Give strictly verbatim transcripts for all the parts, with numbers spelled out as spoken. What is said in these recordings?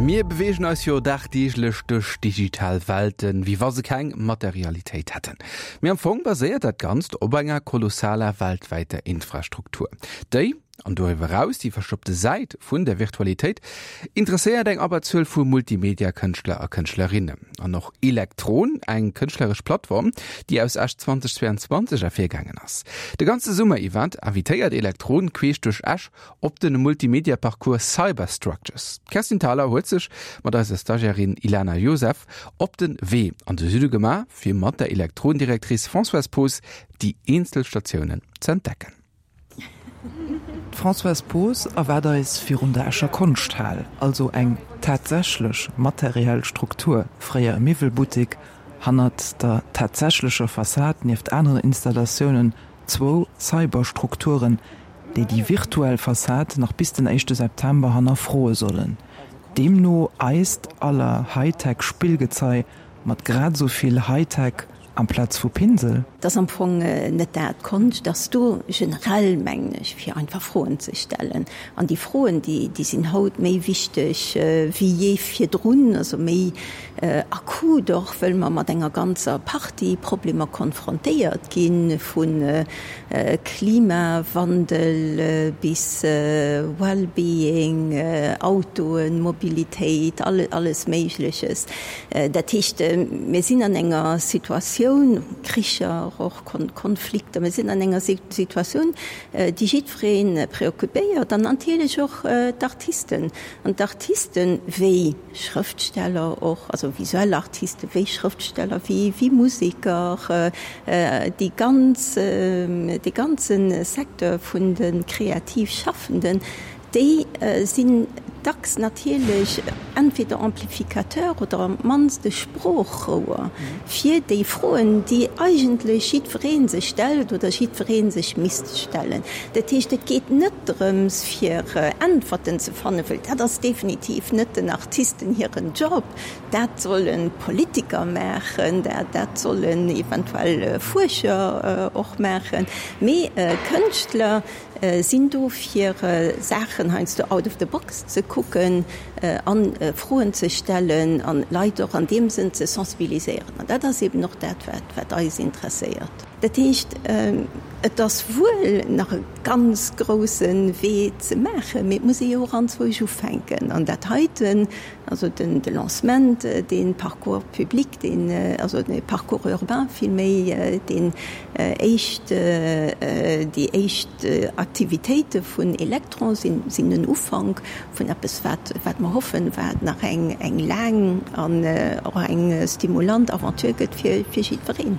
Mir beweegen eis jo dagdeeglech duerch digital Welten, wéi wa se keng Materialitéit hätten. Mee am Fong baséiert dat Ganzt op enger kolossaler weltwäiter Infrastruktur. Déi, an doriwwer eraus déi verstoppte Säit vun der Virtualitéit, interesséiert eng Abberzuel vu Multimedia-Kënschtler a Kënschtlerinnen. An och Elektron, eng kënschtleresch Plattform, déi aus Esch zweitausendzweiundzwanzeg ervirgaangen ass. De ganze Summer iwwer invitéiert Elektron queesch duerch Esch op de Multimedia-Parcours Cyberstructures. D'Kerstin Thalau huet sech mat eiser Stagiairin Ilana Joseph op de Wee an de Süde gemaach, fir mat der Elektron-Directrice Françoise Poos déi eenzel Statiounen ze entdecken. D'Françoise Poos erwaart eis virun der Escher Konschthal, also eng tatsächlech materiell Struktur, fréier e Miwwelbuttek, hannert der tatsächlecher Fassad nieft aneren Installatiounen zwou Cyberstrukturen, déi déi virtuell Fassad nach bis den éischte September hannerfroe sollen. Deemno eist aller Hightech-Spillgezei mat grad esou vill Hightech amplaz vu Pinsel? Et ass am Fong net dat. Konscht ass do generell, mengen ech, fir einfach Froen ze stellen. An déi Froen, déi, déi sinn haut méi wichteg wéi jee virdrun, also méi akut och, wëll mer mat enger ganzer Partie Problemer konfrontéiert ginn, vu Klimawandel bis Wellbeing, Autoen, Mobilitéit, alles Méigleches. Dat heescht, mir sinn an enger Situatioun, Kricher och, Konflikter, mir sinn an enger Situatioun, déi jiddweree preoccupéiert an natierlech och d'Artisten. An d'Artisten, wéi Schrëftsteller och, also visuell Artisten, wéi Schrëftsteller, wéi Museker, déi ganz, dee ganze Secteur vun de kreativ Schaffenden, déi sinn dacks natierlech entweder Amplificateur oder am mannst e Sproochrouer fir déi Froen, déi eigentlech jiddweree sech stellt oder jiddweree sech misst stellen. Dat heescht, et geet net drëms, fir Äntwerten ze fannen, well dat ass definitiv net den Artisten hiren Job. Dat solle Politiker maachen, dat sollen eventuell Fuerscher och maachen, mee Kënschtler sinn do fir Saachen heiansdo out of the box ze kucken an Froen ze stellen an Leit och an deem Sënn ze sensibiliséieren. An dat ass eben och dat, wat eis interesséiert. Dat heescht, et ass wuel nach e ganz grousse Wee ze maachen, mee et muss ee jo och anzwousch ufänken. An dat heiten, also den de Lancement, dee Parcours public, deen, also de Parcours urbain villméi, deen éischt, déi éischt Aktivitéite vun Electron sinn, sinn en Ufank vun eppes, wat, wat mer hoffen, wat nach eng, eng laang an och eng stimulant Aventure gëtt fir, fir jiddwereen.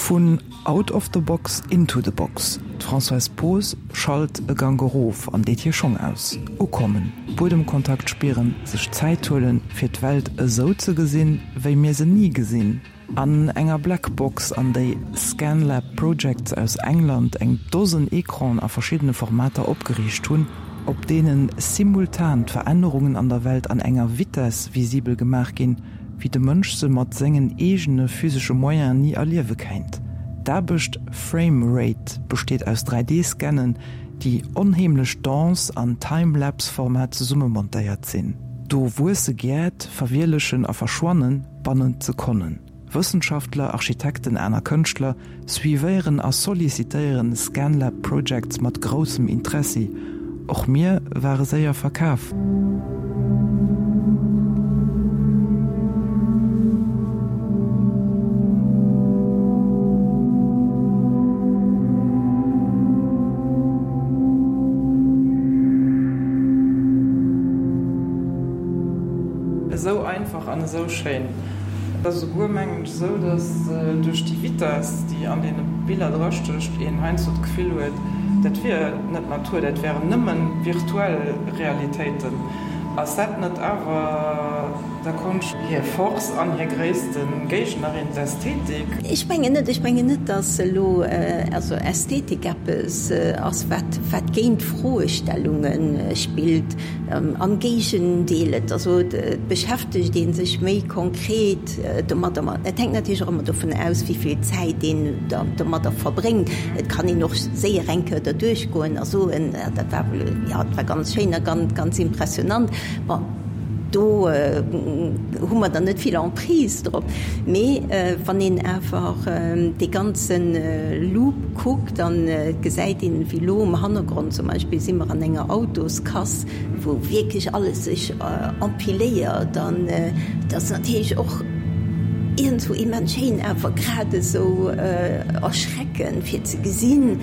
Vun Out of the box into the box, D'Françoise Poos schalt e Gank erof an deet hir Schong aus. Ukommen, Buedemkontakt spieren, sech Zäit huelen, fir d'Welt esou ze gesinn, wéi mir se ni gesinn. An enger Black Box, an déi Scanlab Projects aus England eng Dosen Ecranen a verschiddene Formater opgeriicht hunn, op deene simultan d'Verännerungen an der Welt an enger Vitess visibel gemaach ginn, wéi de Mënsch se mat sengen eegene physesche Moyenen ni erliewe kéint. D'Aarbecht Frame Rate besteet aus dräi D-Scannen, déi onheemlech dense an Time-Lapse-Format zesummemontéiert sinn. Do wuesse Gäert, verwielechen a verschwannen bannent Sekonnen. Wëssenschaftler, Architekten, aner Kënschtler suivéieren a sollicitéieren Scanlab Projects mat groussem Interessi. Och mir ware séier verkaf. Esou einfach an esou schéin. Et ass esouguer, mengen ech, esou, datt duerch déi Vitess, déi an deene Biller drastécht, een heiansdo d'Gefill huet, dat wier net Natur, dat wären nëmme virtuell Realitéiten. Ass dat net awer Der Konscht hir Force an hir gréisste Géignerin, d'Ästhetik. Ech mengen net, ech mengen net, dass elo also Ästhetik eppes ass, wat, wat géint Froestellunge spillt. Am Géigendeel, et also et beschäftegt ee sech méi konkret domadder. Ma et hänkt natierlech och ëmmer dovun aus, wéi vill Zäit een domadder verbréngt. Et kann een och séier eng Kéier derduerch goen a soen, dat war, jo, dat war ganz schéin a ganz, ganz impressionant. Bon, do hu mer dann net vill Emprise drop. Mee wann een awer dee ganze Loop kuckt, da gesäit een, wéi elo um Hannergrond zum Beispill si mer an enger Autoskass, wou wierklech alles sech empiléiert an et ass natierlech och iergendwou immens schéin, awer grad esou erschreckend fir ze gesinn,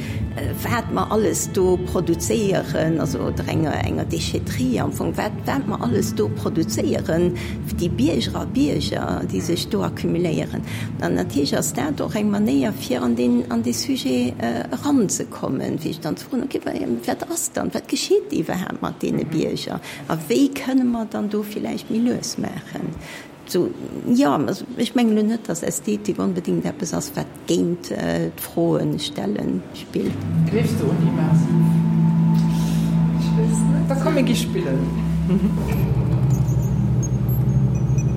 wat mer alles do produzéieren, also oder enger enger Déchetterie am Fong, wat wat mer alles do produzéieren, déi Bierger a Bierger, déi sech do accumuléieren. An natierlech ass dat och eng Manéier fir an deen an dee Sujet eranzekommen, fir sech dann ze froen, okay, wat ass dann, wat geschitt iwwerhaapt mat deene Bierger a wéi kënne mer dann do villäicht méi lues maachen? Sou, jo, also ech mengen elo net, dass Ästhetik onbedéngt eppes ass, wat géint d'Froe stelle spillt. Gleefs de un Immersiv? Ech weess net. Da komm mir gi spillen.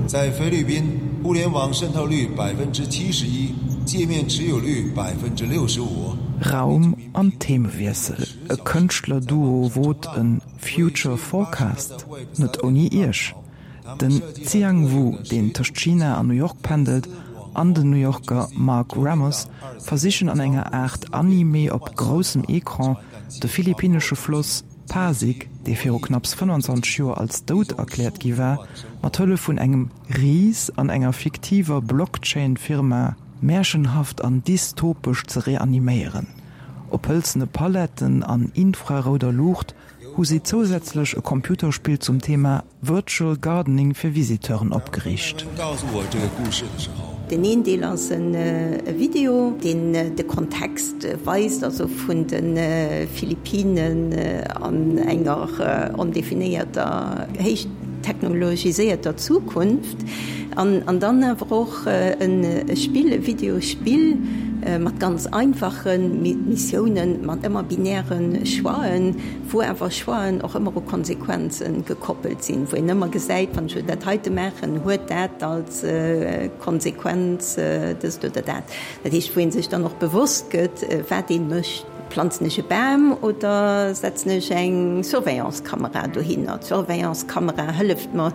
在菲律宾， 互联网渗透率百分之七十一， 界面持有率百分之六十五。 Raum an Themewiessel, E Kënschtler-Duo wot e Future Forecast, net ouni Iech. Den Xiang Wu, deen tëscht China an New York pendelt, an den New Yorker Mark Ramos versichen an enger Aart Anime op groussem Ecran de philippinnesche Floss Pasig, dee viru knapps fënnanzwanzeg Joer als dout erkläert gi war, mat Hëllef vun engem Ris an enger fiktiver Blockchain-Firma märchenhaft an dystopesch ze reaniméieren. Op hëlzene Paletten an infrarouder Luucht hu si zousätzlech e Computerspill zum Thema Virtual Gardening fir Visiteuren opgeriicht. Den een Deel ass e Video, deen de Kontext weist, also vun de Philippinen an enger ondefinéierter, héich technologiséierter Zukunft. An dann awer och e Spill, e Videospill mat ganz einfache Missiounen, mat ëmmer binäre Choixen, wou awer Choixen och ëmmer u Konsequenze gekoppelt sinn, wou een ëmmer gesäit, wann ech dat heite maachen, huet dat als Konsequenz dëst oder dat. Dat heescht, wou ee sech dann och bewosst gëtt, wat ee mécht. Planzen ech e Bam oder setzen ech eng Surveillance-Kamera dohinner? D'Surveillance-Kamera hëlleft mer,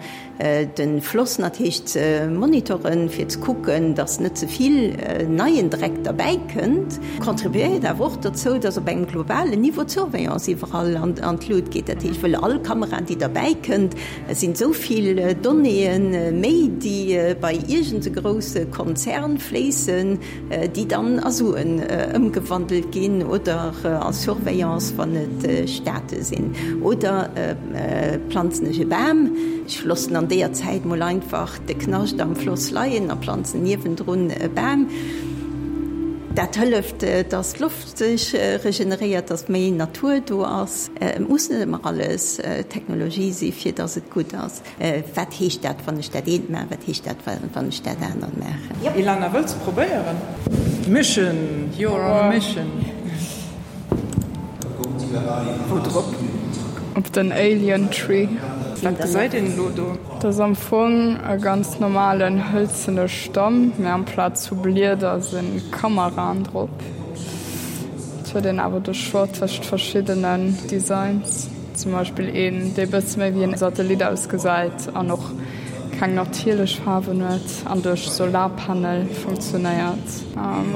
de Floss natierlech ze monitoren, fir ze kucken, dass net ze vill neien Dreck derbäi kënnt. Contribuéiert awer och dozou, dass op engem globalen Niveau d'Surveillance iwwerall an d'Lut geet. Dat heescht, wëll all Kamera, déi derbäi kënnt, et sinn esou vill Donnéeë méi, déi bei iergend e grousse Konzern fléissen, déi dann a Suen ëmgewandelt ginn oder a Surveillance, wann et Staate sinn. Oder planzen ech e Bam, ech loossen an deeër Zäit mol einfach de Knascht am Floss leien a planzen niewendrun e Bam. Dat hëlleft, dass d'Loft sech regeneréiert, dass méi Natur do ass. Et muss net ëmmer alles Technologie si fir dass et gutt ass. Wat heescht dat, wann ech dat eent maachen? Wat heescht dat, wann ech dat anert maachen? Ilana, wëlls de probéieren? Mission, you're on a mission. Wou drop? Op den Alien Tree. Wat gesäit een elo do? Dat ass am Fong e ganz normalen hëlzene Stamm, mä amplaz vu Blieder si Kameraen drop. Et huet een awer de Choix tëscht verschiddenen Designs, zum Beispill een, dee bësse méi wéi en Satellit ausgesäit an och keng natierlech Faarwen huet an duerch Solarpanel funktionéiert,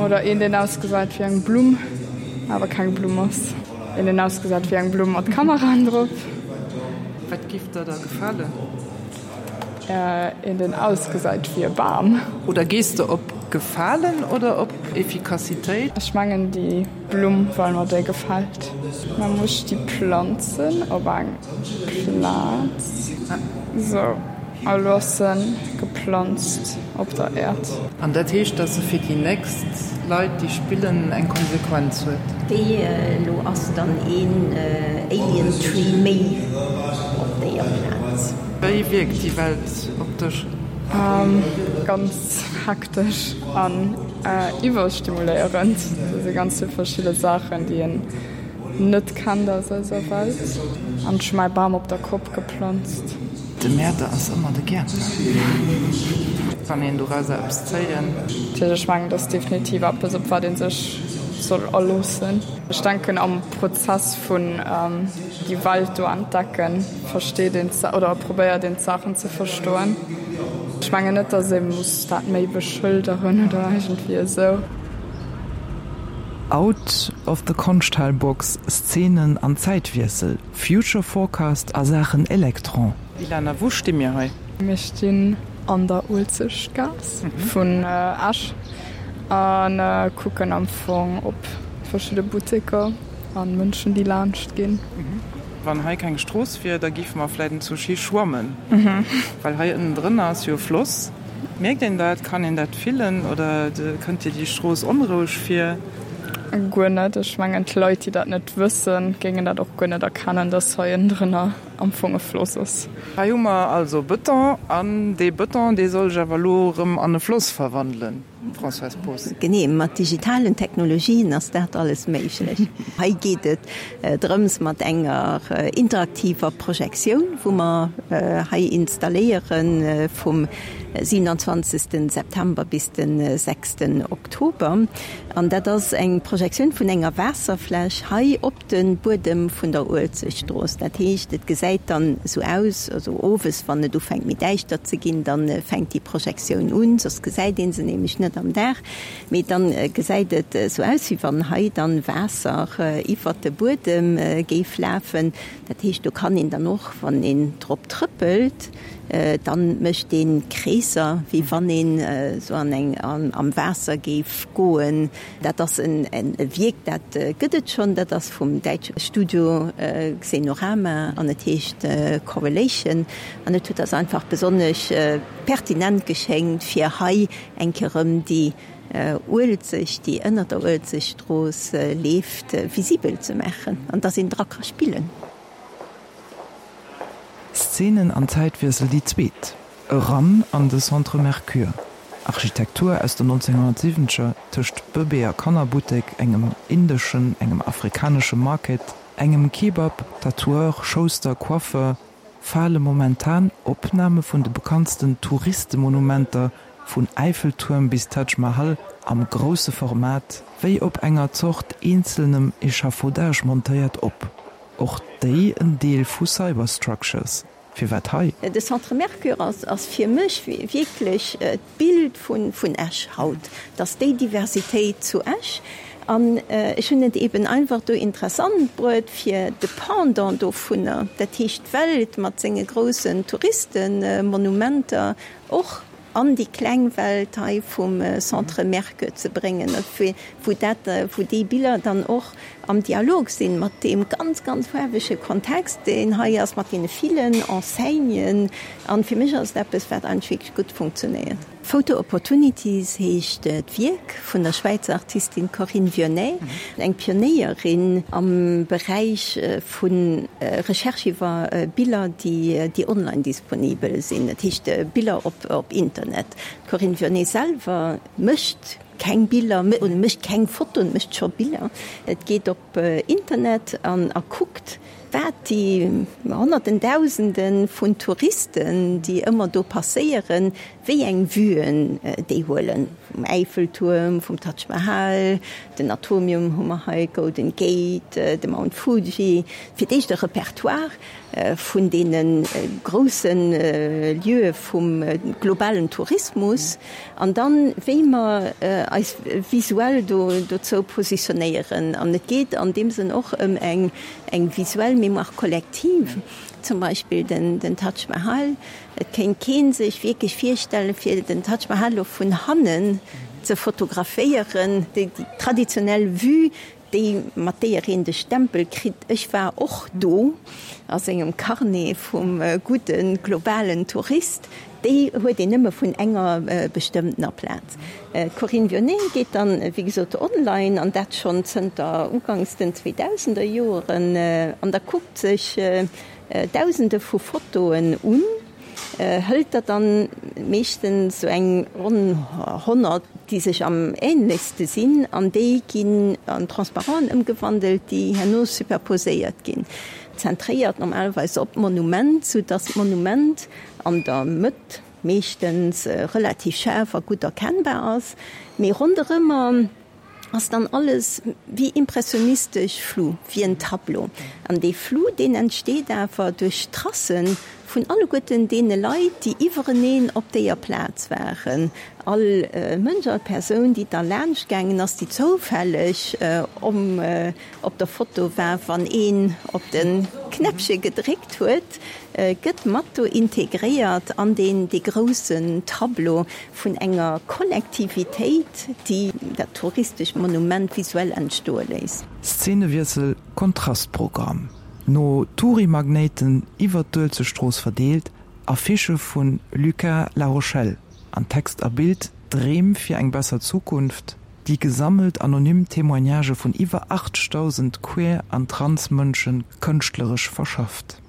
oder een, deen ausgesäit wéi eng Blumm, awer keng Blumm ass. Een, deen ausgesäit wéi eng Blumm mat Kameraen drop. Wat giff der da gefalen? Een, deen ausgesäit wéi e Bam. Oder gees de op Gefalen oder op Efficacitéit? Ech mengen déi Blumm, well mer déi gefält. Mä muss ech déi planzen op eng Plaz? Sou, a lo ass se geplanzt op der Äerd. An dat heescht, dass se fir déi nächst Leit, déi spillen, eng Konsequenz huet. Déi elo ass dann een Alien Tree méi op déier Plaz. Wéi wierkt déi Welt op dech? Ganz hektesch an iwwerstimuléierend. Do si ganz vill verschidde Saachen, déi een net kennt aus eiser Welt. An ech hu mäi Bam op der Kopp geplanzt. De Mäerder ass ëmmer de Gäertner. Kann een dorauser eppes zéien? Ech mengen, dat ass definitiv eppes, op wat ee sech soll aloossen. Ech denken, am Prozess vun déi Welt do entdecken, versteet een oder probéiert een d'Saachen ze verstoen. Ech mengen net, datt ee muss dat méi beschëlderen oder iergendwéi esou. Out of the Konschthalbox, Szenen an Zäitwiessel, Future Forecast a Saachen Elektron. Ilana, wou sti mir hei? Mir stinn an der Uelzechtgaass vun Esch a kucken am Fong op verschidde Butteker a Mënschen, déi laanscht ginn. Wann hei keng Strooss wier, da géife mer vläit entzouschhi schwammen, well hei ënnendrënner ass jo e Floss. Mierkt een dat? Kann een dat fillen oder kënnt dir déi Strooss onroueg vir? Guer net. Ech mengen, d'Leit, déi dat net wëssen, géingen dat och guer net erkennen, dass hei ënnendrënner am Fong e Floss ass. Hei hu mer also Bëton, an dee Bëton, dee soll sech awer elo erëm an e Floss verwandelen, Françoise Poos. Genee, mat digitalen Technologien ass dat alles méiglech. Hei geet et drëms, mat enger interaktiver Projektioun, wou mer hei installéiere vum siewenundzwanzegsten September bis de sechsten Oktober. An dat ass eng Projektioun vun enger Waasserfläch hei op de Buedem vun der Uelzechtstrooss. Dat heescht, et gesäit dann esou aus, also owes, wann et ufänkt méi däischter ze ginn, da fänkt déi Projektioun un, soss gesäit ee se nämlech net am Dag. Mee dann gesäit et esou aus, wéi wann hei dann Waasser iwwert de Buedem géif lafen. Dat heescht, do kann een dann och, wann een drop trëppelt, dann mécht een Kreesser, wéi wann een esou an eng, am Waasser géif goen. Dat ass en Wierk, dat gëtt et schonn, dat ass vum däitsche Studio Xenorama an et heescht Correlation. An et huet eis einfach besonnesch pertinent geschéngt, fir hei eng Kéier erëm déi Uelzecht, déi ënner der Uelzechtstrooss leeft, visibel ze maachen an dass een dra ka spillen. Szenen an Zäitwiessel déi zweet, eran an de Centre Mercure. Architektur aus den nonzénghonnertsiwwenzeger tëscht Bëbee a Kannerbuttek, engem indeschen, engem afrikanesche Market, engem Kebab, Tatoueur, Schouster, Coiffeur, fale momentan Opname vun de bekanntsten Touristemonumenter vun Äiffeltuerm bis Taj Mahal am grousse Format wéi op enger Zort eenzelnem Echafaudage montéiert op. Och déi en Deel vu Cyberstructures. Firwat hei? De Centre Mercure ass fir mech wierklech d'Bild vun Esch haut. Et ass déi Diversitéit zu Esch. An ech hunn et eben einfach do interessant bruet, fir de Pendant dovunner, dat heescht d'Welt mat senge groussen Touristemonumenter, och an déi kleng Welt hei vum Centre Mercure ze bréngen, wou dat, wou déi Biller dann och am Dialog sinn mat deem ganz, ganz faarwege Kontext, deen hei ass, mat deene villen Enseignen. An fir mech ass et eppes, wat eigentlech wierklech gutt funktionéiert. Photo Opportunities heescht d'Wierk vun der Schwäizer Artistin Corinne Vionnet, eng Pionéierin am Beräich vu Recherche iwwer Biller, déi online disponibel sinn, dat heescht Biller op Internet. D'Corinne Vionnet selwer mécht keng Biller, oder mécht keng Fotoen, mécht scho Biller. Et geet op Internet an a kuckt, wat déi Honnerten, Dausende vun Touristen, déi ëmmer do passéieren, wéi eng Vuen déi huelen, vum Äiffeltuerm, vum Taj Mahal, den Atomium hu mer hei, Golden Gate, de Mount Fuji, fir d'éischt e Repertoire vun deene grousse Lieue vum globalen Tourismus an dann, wéi mer eis visuell do dozou positionéieren. An et geet an deem Sënn och ëm eng eng visuell Mémoire collective, zum Beispill den den Taj Mahal. Et kéint kee sech wierklech virstellen, fir den Taj Mahal elo vun hannen ze fotograféieren, déi traditionell Vue, déi mat deeër een de Stempel kritt, ech war och do, a sengem Carnet vum gudde globalen Tourist, déi huet een nëmme vun enger bestëmmtener Plaz. D'Corinne Vionnet geet dann, wéi gesot, online, an dat schonn zënter uganks den Zweedausenderjoeren, an da kuckt sech Dausende vu Fotoen un, hëlt der dann meeschtens sou eng ronn honnert, déi sech am ähnlechste sinn, an déi ginn an Transparenten ëmgewandelt, déi herno superposéiert ginn, zentréiert normalerweis op d'Monument, sou dass d'Monument an der Mëtt meeschtens relativ schaarf a gutt erkennbar ass, mee ronderëmmer ass dann alles wéi impressionistesch flou, wéi en Tableau. An dee Flou, deen entsteet awer duerch d'Tracen vun alleguerten deene Leit, déi iwwereneen op déier Plaz waren. All Mënsch, all Persoun, déi da laanscht gaangen ass, déi zoufälleg om op der Foto war, wann een op de Knäppche gedréckt huet, gëtt mat do integréiert an deen dee groussen Tableau vun enger Kollektivitéit, déi dat touristescht Monument visuell entstoe léisst. Szenewiessel, Kontrastprogramm. No Tourimagnéiten iwwer d'Uelzechtstrooss verdeelt, Affichë vu Lucas Larochelle an Text a Bild, Dreem fir eng besser Zukunft, déi gesammelt anonym Témoignagë vun iwwer achtzegdausend Queer an Trans-Mënsche kënschtleresch verschafft.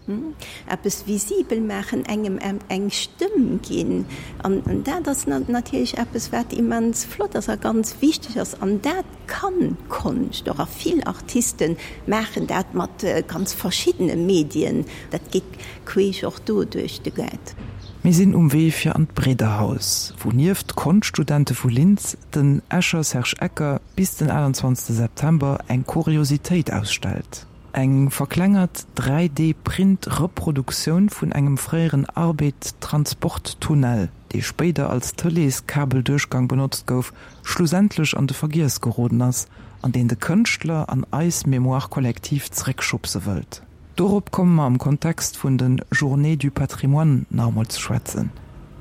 Eppes visibel maachen, engem eng Stëmm ginn, an dat ass natierlech eppes, wat immens flott ass a ganz wichteg ass. An dat kann Konscht och, a vill Artiste maachen dat mat ganz verschiddene Medien. Dat geet queesch och do duerch de Gaart. Mir sinn um Wee fir an d'Bridderhaus, wou nieft Konschtstudente vu Linz den Escher Serge Ecker bis den achtundzwanzegste September eng Kuriositéit ausstellt, Eng verklengert dräi D Print Reproduktioun vun engem fréieren Arbed-Transporttunnel, dee spéider als Tëlees-Kabelduerchgang benotzt gouf, schlussendlech an de Vergiess geroden ass an deen de Kënschtler an eis Mémoire collective zeréckschubse wëllt. Dorop komme mer am Kontext vun de Journées du Patrimoine nach emol ze schwätzen.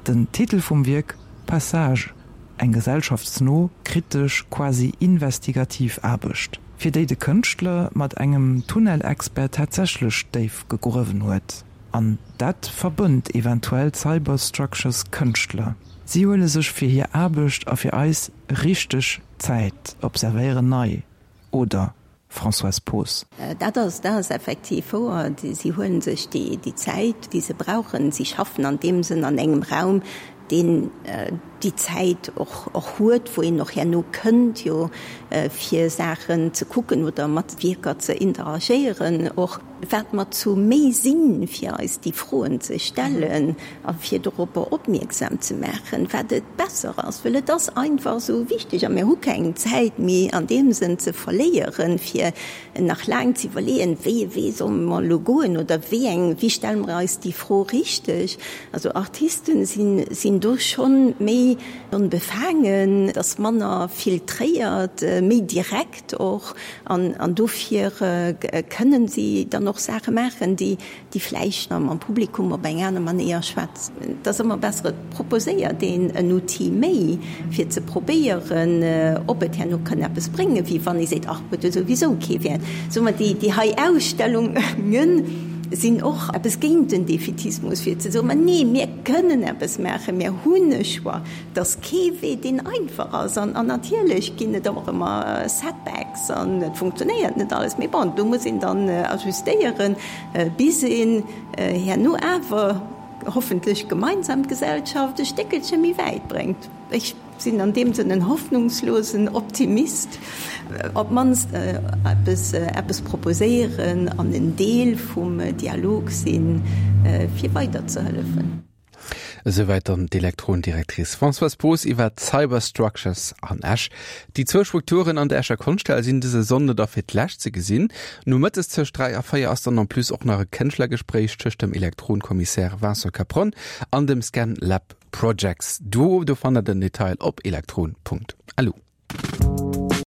Den Titel vum Wierk, Passage, eng gesellschaftsno, kritesch, quasi investigativ Aarbecht, fir déi de Kënschtler mat engem Tunnelexpert tatsächlech déif gegruewen huet. An dat verbënnt eventuell d'Cyberstructures Kënschtler, si huele sech fir hir Aarbecht a fir eis richteg Zäit, observéieren nei, oder? Françoise Poos. Dat ass, dat ass effektiv wouer. Si huele sech déi, déi Zäit, déi se brauchen. Si schaffen an deem Sënn an engem Raum, deen déi Zäit och, och huet, wou een och herno kënnt jo fir Saachen ze kucken oder mat Wierker ze interagéieren och. Wat mer zu méi sinn, fir eis déi Froen ze stellen a fir doropper opmierksam ze maachen, wat et besser ass, well et ass einfach esou wichteg a mir hu keng Zäit méi an deem Sënn ze verléieren, fir nach laang ze iwwerleeën, wéi e Wee solle mer elo goen oder wéi eng, wéi stelle mer eis déi Fro richteg. Also Artisten sinn, sinn do schonn méi onbefaangen, et ass manner filtréiert, méi direkt och an, an dofir kënnen si dann och Saache maachen, déi, déi vläicht mam Publikum op eng aner Manéier schwätzen. Et ass ëmmer besser, et proposéiert een en Outil méi, fir ze probéieren, ob et herno kann eppes bréngen, wéi wann ee seet, ach, huet jo souwisou kee Wäert. Soe mer, déi, déi hei Ausstellunge sinn och eppes géint den Defätismus, fir ze soen, ma nee, mir kënnen eppes maachen, mir hunn e Choix. Et ass kee Wee, deen einfach ass. An natierlech ginn et och ëmmer Setbacks an et funktionéiert net alles. Mee bon, do muss een dann ajustéieren, bis een herno awer hoffentlech gemeinsam d'Gesellschaft e Stéckelche méi wäit bréngt. Ech sinn an deem Sënn en hoffnungslosen Optimist. Op d'mannst eppes, eppes proposéieren an en Deel vum Dialog sinn, fir weiderzehëllefen. Esouwäit dann d'Elektron-Directrice Françoise Poos iwwer d'Cyberstructures an Esch. Déi zwou Strukturen an der Escher Konschthal sinn dëse Sonnde da fir d'lescht ze gesinn. Nomëttes tëscht dräi a véier ass dann en plus och nach e Kënschtlergespréich tëscht dem Elektron-Kommissär Vincent Capron an dem Scan Lab Projects Duo. Do fannt der den Detail op elektron.lu.